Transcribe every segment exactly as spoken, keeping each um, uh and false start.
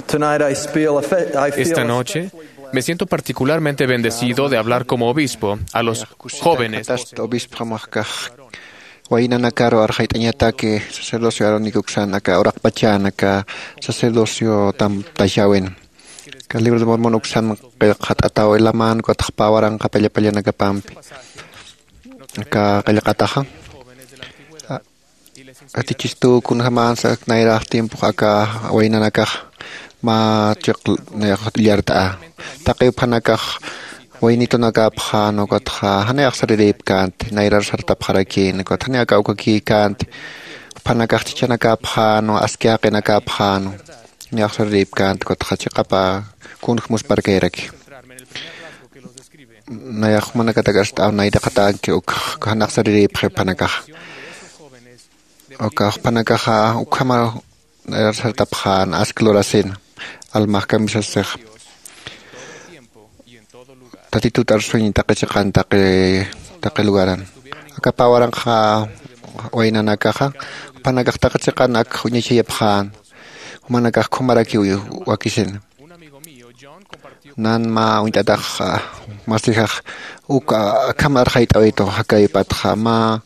Tonight I feel, affe- I feel Esta noche especially blessed me siento particularmente bendecido de hablar como obispo a los jóvenes. Obispo Macax waynanakaru arxayt'añataki sacerdocio arónico uksan aka uraqpachan aka sacerdocio tam tashawin. Ka libro de Mormon uksan qillqat'ataw ilaman kutxpa waranqa pallapallanakapampi. Aka qillqataxa atichistu kunjamansa nayrax tiempox aka waynanakax mä chiq nayax illart'a. Taqi uphanakax waynitunakapxan ukatxa janiw axsarirïpkänti nayrar sartapxarakïn ukat janiw aka ukakïkänti. Uphanakax chichanakapxan aski jaqinakapxan janiw axsarirïpkänti ukatxa chiqapa kunj musparkayraki. Nayax jumanakatak arst'aw nayraqatanki uk jan axsarirïpxi uphanakaxa. Uka juphanakaxa ukhama sartapxän aski lurasina almax kamisasix tatitut arsuñ taqi chiqan taqi taqi lugaran. Aka pä waranqa waynanakaxa juphanakax taqi chiqan ak uñachayapxän. Jumanakax khumarakiw wakisina. Nan mä uñt'atax masixax uk akham arxayt'awitu jakaypatxa mä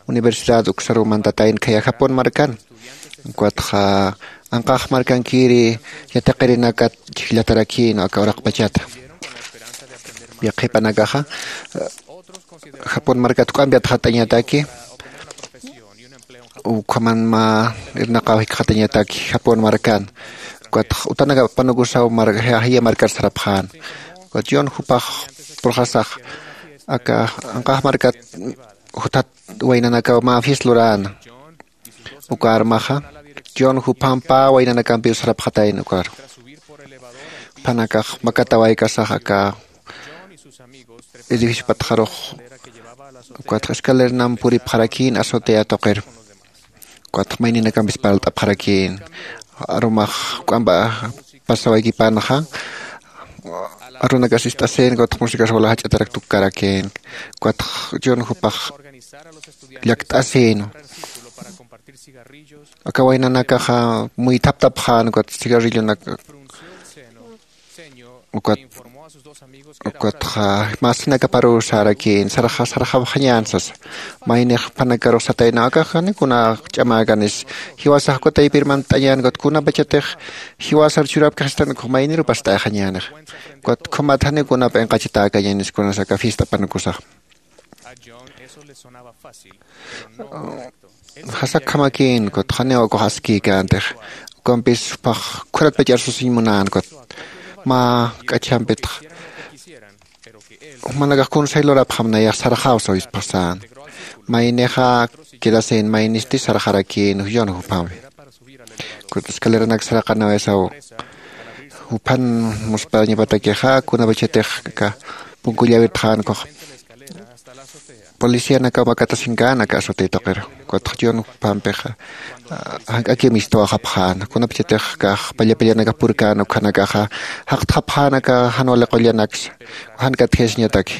universidad uksaru mantatayna khaya japón markan. Ukatxa anqax markankiri yatiqirinakat chhijllatarakïn aka uraqpachata. Yaqhipanakaxa japón markat juk'ampi atxat'añataki ukhaman mä irnaqaw jikxatañataki japón markan. Ukat utanaka apanukusaw jaya markar sarapxän. Ukat john jupax purxasax aka anqax markat juthat waynanakaw mä fies luräna. Uka armaxa john jupham pä waynanakampiw sarapxatayna ukaru. Juphanakax makatawaykasax aka edificio patxarux ukatxa escalernam puripxarakïn azotea tuqiru. Ukatxa mayninakampis parlt'apxarakïn arumax juk'ampa pasawaykipanxa arunakas ist'asïn ukatxa musikas wala jach'atarak tukkarakïn. Ukatxa john jupax llakt'asïn aka waynanakaxa muythaptapxän ukat cigarrillonak ukat ukatxa masinakaparuw sarakïn sarxa sarxapxañän sasa. Maynix jupanakarux sataynaw akax janiw kuna ch'amäkanis jiwasax uka taypir mant'añän ukat kunapachatix jiwasar churapkaxistan ukx mayniruw past'ayxañänix. Ukat ukhamat janiw kuna p'inqachatäkañänis kunas aka fiesta apanukusax. Jasakjamakïn ukat janiw ukax askïkäntix. Ukampis jupax khuratpach arsusiñ munän ukat mä k'achjampitxa jumanakax kunsay lurapxam nayax sarxäw sawispxasän. Maynixa quedasïn maynisti sarxarakïn john juphampi. Ukat escaleranak saraqanawisaw juphan musparañapatakixa kunapachatix aka punku llawirtxän ukax policianakaw makatasinkän aka azotea tuqiru. Ukatxa john juphampixa jank'akiw mistuwaxapxän kunapachatix kax pallapallanakax purkän ukhanakaxa jaqtxapxän aka jan wali qullanaksa jan katjayasiñataki.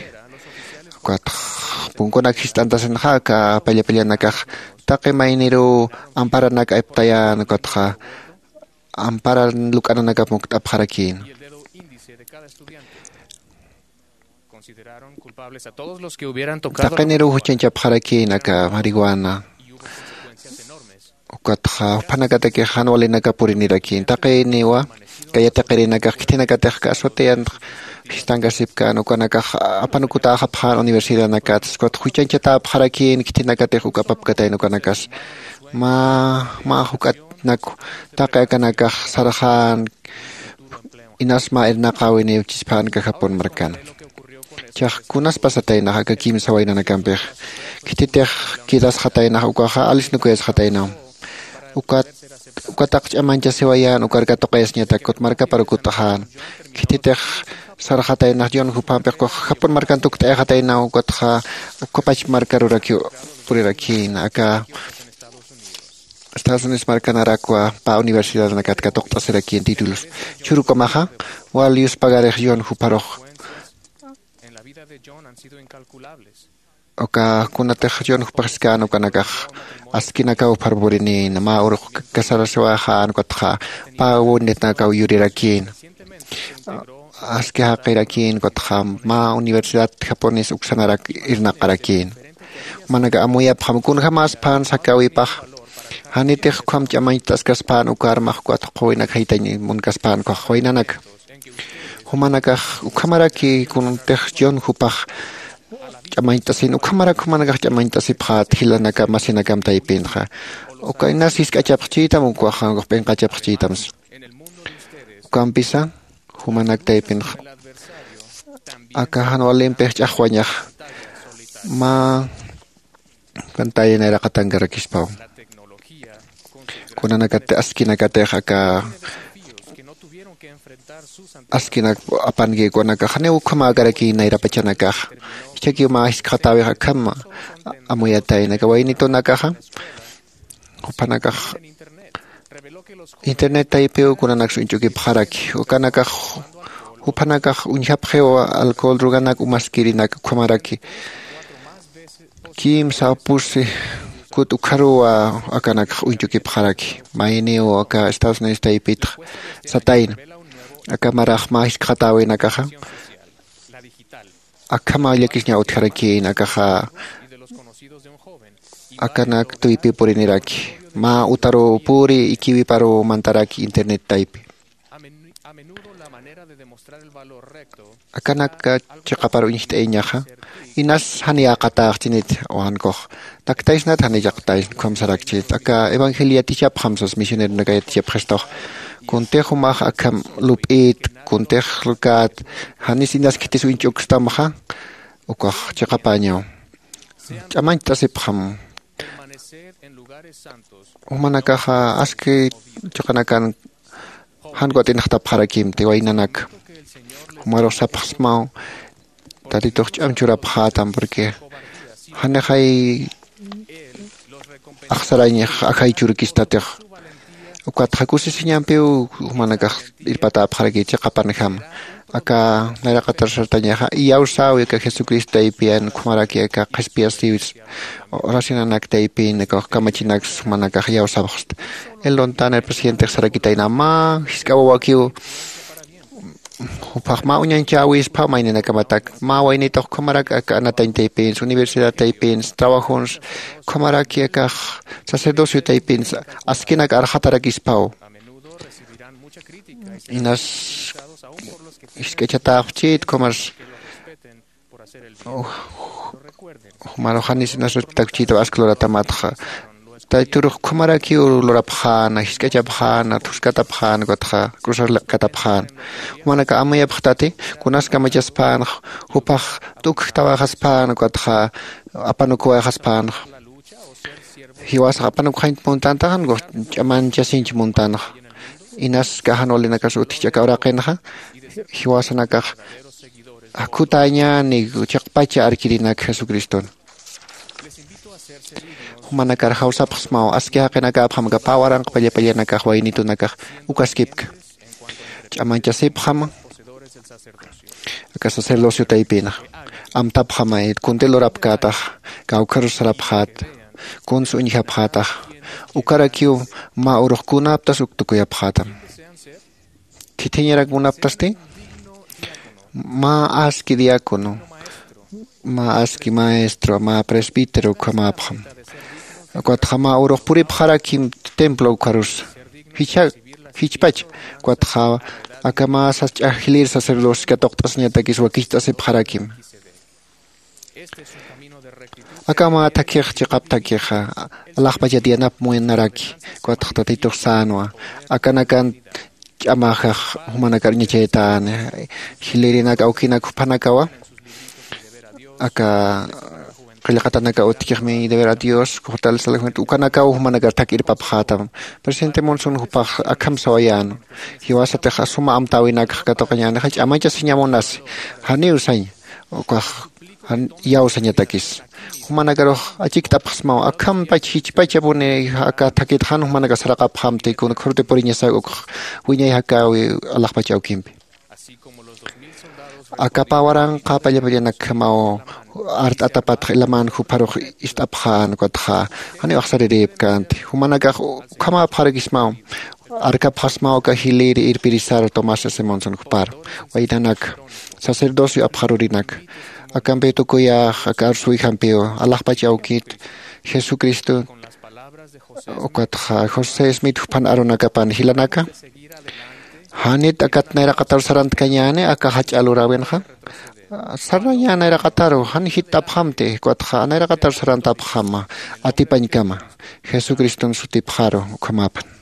Ukatxa punkunak jist'antasinxa aka pallapallanakax taqi mayniruw amparanak aptayän ukatxa amparan luk'ananakap mukt'apxarakïn. Taqiniruw juchañchapxarakïn aka marihuana. Ukatxa juphanakatakix jan walinakap purinirakïn taqiniwa aka yatiqirinakax khithinakatix aka azotean jistankasipkän ukanakax apanukutäxapxän universidadnakat. Ukatxa juchañchatäpxarakïn khithinakatix uk apapkatayna ukanakas mä mä juk'atnak taqi akanakax sarxän inas mä irnaqäwiniw chisphänka japón markan. Chax kunas pasataynax aka kimsa waynanakampix khititix quedasxataynax ukaxa alisnukuyasxataynaw. Ukat ukataq ch'amañchasiwayän ukar katuqayasiñatak kut markapar ukut'xän. Khititix sarxataynax john juphampix ukax japón markan tukt'ayxataynaw ukatxa ukapach markarurakiw purirakïn aka estados unidos markanarakwa pä universidadnakat katuqt'asirakïn títulos. Churukamaxa wal yuspagarix john jupharux. Uka kunatix john jupax jiskän ukanakax askinakaw pharpurinïna mä urux casarasiwäxän ukatxa pä wawinitnakaw yurirakïna. Aski jaqirakïna ukatxa mä universidad japones uksanarak irnaqarakïna. Jumanaka amuyapxam kunjämäspän sakäwipax janitix ukham ch'amañcht'askaspän ukarmax ukat juqhüwinak jaytañ munkaspän ukax waynanaka. Jumanakax ukhamaraki kuntix john jupax ch'amañcht'asin ukhamarak jumanakax ch'amañcht'asipxät jilanakam masinakam taypinxa. Uka inas jisk'achapxchïtam ukax p'inqachapxchïtamsa. Ukampisa jumanak taypinxa aka jan walimpix ch'axwañaxa mä pantalla nayraqatankarakispaw. Kunanakat askinakatix aka askinak apanki ukanakax janiw ukhamäkaraki nayrapachanakax. Jichhakiw mä jiskxatäwix akham amuyatayna aka waynitunakaxa juphanakax internet taypiw kunanaksa uñch'ukipxaraki ukanakax juphanakax uñjapxiw alcohol droganak umaskirinak ukhamaraki kimsa pusi kut ukharuw akanakx uñchukipxaraki. Mayniw aka estados unidos taypitx satayna aka marax mä jiskxatäwinakaxa akhamaw llakisiñaw utjarakïna akaxa akanak tuypi puriniraki mä utaruw puri ikiwiparuw mantaraki internet taypi. Akanak chiqapar uñjt'ayañaxa inas janiyäqatäxchinit wankux taktaysnat janichaqtaysna ukham sarakchit aka evangelio yatichapxam sas misioneronaka yatichapxistux. Kuntix jumax akham lup'ït kuntix lkät janis inas khitis uñch'ukstamxa ukax chiqapäñaw ch'amañcht'asipxam. Jumanakaxa aski chiqanakan jan wat'inxtapxarakimti waynanaka jumarux sapxsmaw tatitux ch'am churapxätam porque janixay axsarañix ajay churkistatix. Ukatxa kusisiñampiw jumanakax irpatäpxaraki chiqapanjama aka nayraqatar sartañaxa iyawsäwi aka jesucristo taypiyan ukhamaraki aka qhispiyasiwis oracionanak taypin aka kamachinaks jumanakax iyawsapxsta. El lontaner presidentix sarakitayna mä jisk'a wawakiw jupax mä uñañchäwispha mayninakamatak mä waynitux ukhamarak aka anatañ taypins universidad taypins trabajons ukhamaraki akax sacerdocio taypins askinak arxatarakispaw. Inas jisk'achatäpxchït ukhamars jumarux janis inas respetakchïtaw aski luratamatxa tayturux ukhamarakiw lurapxäna jisk'achapxäna thuskatapxäna ukatxa cruzar liqkatapxäna. Jumanaka amuyapxtati kunas kamachaspänxa jupax t'ukjtawayxaspänxa ukatxa apanukuwayxaspänxa. Jiwasax apanukxañt muntantaxa ch'amanchasiñch muntanxa. Inas kaxan walinakas utjich aka uraqinxa jiwasanakax jakhutäñäni chiqpacha arkirinak jesucriston. Jumanakar jawsapxsmaw aski jaqinakäpxam aka pä waranqa pallapallanakax waynitunakax ukaskipka ch'amañchasipxam aka sacerdocio taypinax amtapxamay kunti lurapkätax kawkharus sarapxät kuns uñjapxätax ukarakiw mä urux kunaptas uk tukuyapxätam. Khithiñarak munaptasti mä aski diácono mä aski maestro mä presbítero ukhamäpxam. Ukatxa mä urux puripxarakim templo ukharusa jichha jichpach ukatxa aka mä sas ch'ax jilir sacerdocio katuqt'asiñatakis wakicht'asipxarakim. Aka mä thakhix chiqap thakhixa alaxpachat yanap munaraki ukatxa tatitux sänwa akanakan ch'amaxax jumanakar uñachaytani jilirinak awkinak juphanakawa aka qillqatanaka utjkixmi deber a dios jutal salajunit ukanakaw jumanakar thak irpapxätam. Presidente monson jupax akham sawayäna jiwasatix suma amtäwinakxa katuqañänixa ch'amañchasiñamunasi janiw sañ ukax iyawsañatakis jumanakarux achikt'apxsmaw akhampach jichpachapuni aka thakit jan jumanaka saraqapxamti kuna khurti puriñasak ukx wiñay jakäwi alaxpach awkimpi. Akapa waranqa pallapallanakjamaw art'atapatx ilaman jupharux ist'apxän ukatxa janiw axsarirïpkänti. Jumanakax ukhamäpxarakismaw arkapxasmaw aka jilïr irpirisar tomás simonson jupar. Waynanak, sacerdocio apxarurinaka, akampiw tukuyäx aka arsuwijampiw alaxpach awkit jesucristo ukatxa josé smith juphan arunakapan jilanaka. Janit akat nayraqatar sarantkañäni aka jach'a luräwinxa. Sarnañä nayraqataru jan jitt'apxamti ukatxa nayraqatar sarantapxama atipañkama. Jesucriston sutipxaru ukhamäpan.